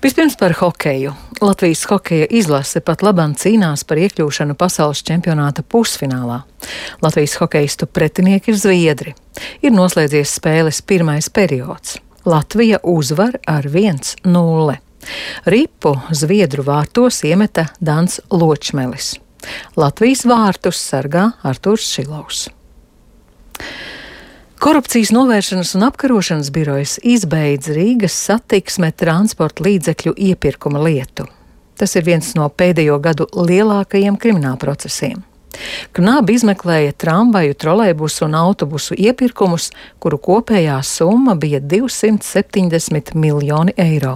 Vispirms par hokeju. Latvijas hokeja izlase pat labam cīnās par iekļūšanu pasaules čempionāta pusfinālā. Latvijas hokeistu pretinieki ir zviedri. Ir noslēdzies spēles pirmais periods. Latvija uzvar ar 1-0. Ripu zviedru vārtos iemeta Dans Ločmelis. Latvijas vārtus sargā Arturs Šilovs. Korupcijas novēršanas un apkarošanas birojas izbeidz Rīgas satiksme transporta līdzekļu iepirkuma lietu. Tas ir viens no pēdējo gadu lielākajiem kriminālprocesiem. Knabi izmeklēja tramvaju, trolejbusu un autobusu iepirkumus, kuru kopējā summa bija 270 miljoni eiro.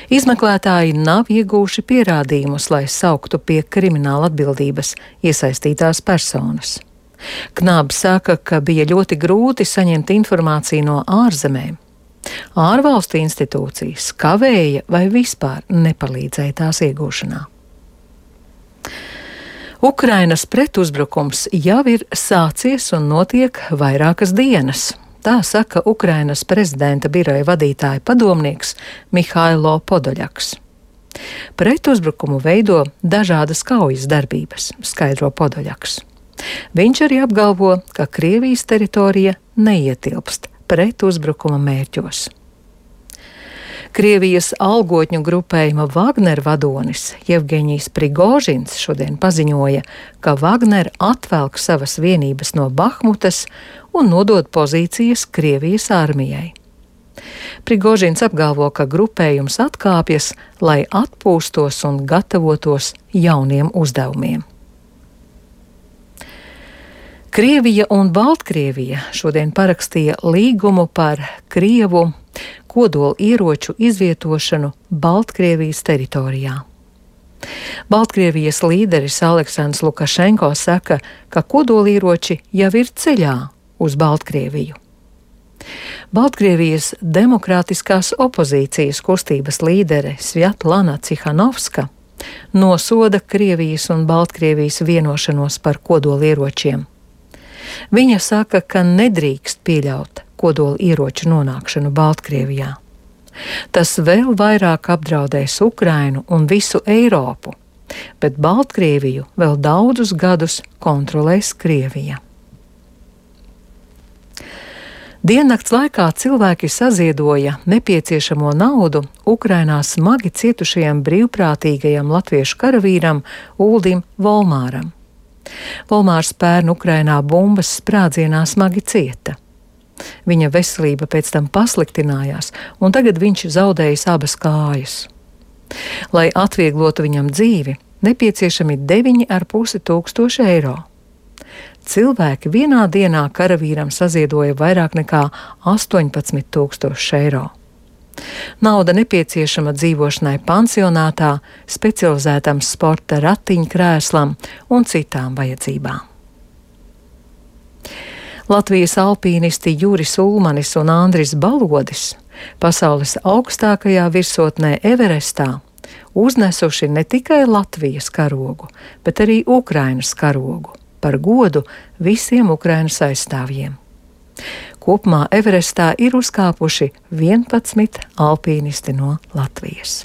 Izmeklētāji nav iegūši pierādījumus, lai sauktu pie krimināla atbildības iesaistītās personas. Knabs saka, ka bija ļoti grūti saņemt informāciju no ārzemēm. Ārvalstu institūcijas kavēja vai vispār nepalīdzēja tās iegūšanā. Ukrainas pretuzbrukums jau ir sācies un notiek vairākas dienas. Tā saka Ukrainas prezidenta biroja vadītāja padomnieks Mihailo Podoļaks. Pretuzbrukumu veido dažādas kaujas darbības, skaidro Podoļaks. Viņš arī apgalvo, ka Krievijas teritorija neietilpst pretuzbrukuma mērķos. Krievijas algotņu grupējuma Wagner vadonis Jevgeņijs Prigožins šodien paziņoja, ka Wagner atvelk savas vienības no Bahmutas un nodod pozīcijas Krievijas armijai. Prigožins apgalvo, ka grupējums atkāpjas, lai atpūstos un gatavotos jauniem uzdevumiem. Krievija un Baltkrievija šodien parakstīja līgumu par Krievu kodola ieroču izvietošanu Baltkrievijas teritorijā. Baltkrievijas līderis Aleksandrs Lukašenko saka, ka kodolieroči jau ir ceļā uz Baltkrieviju. Baltkrievijas demokrātiskās opozīcijas kustības līdere Svjatlana Cihanovska nosoda Krievijas un Baltkrievijas vienošanos par kodolieročiem. Viņa saka, ka nedrīkst pieļaut kodola ieroču nonākšanu Baltkrievijā. Tas vēl vairāk apdraudēs Ukrainu un visu Eiropu, bet Baltkrieviju vēl daudzus gadus kontrolēs Krievija. Diennakts laikā cilvēki saziedoja nepieciešamo naudu Ukrainā smagi cietušajam brīvprātīgajam latviešu karavīram Uldim Volmāram. Volmārs pērn Ukrainā bumbas sprādzienā smagi cieta. Viņa veselība pēc tam pasliktinājās, un tagad viņš zaudējis abas kājas. Lai atvieglotu viņam dzīvi, nepieciešami 9,5 tūkstoši eiro. Cilvēki vienā dienā karavīram saziedoja vairāk nekā 18 tūkstoši eiro. Nauda nepieciešama dzīvošanai pansionātā, specializētam sporta ratiņkrēslam un citām vajadzībām. Latvijas alpīnisti Juris Ulmanis un Andris Balodis pasaules augstākajā virsotnē Everestā uznesuši ne tikai Latvijas karogu, bet arī Ukrainas karogu par godu visiem Ukrainas aizstāvjiem. Kopumā Everestā ir uzkāpuši 11 alpīnisti no Latvijas.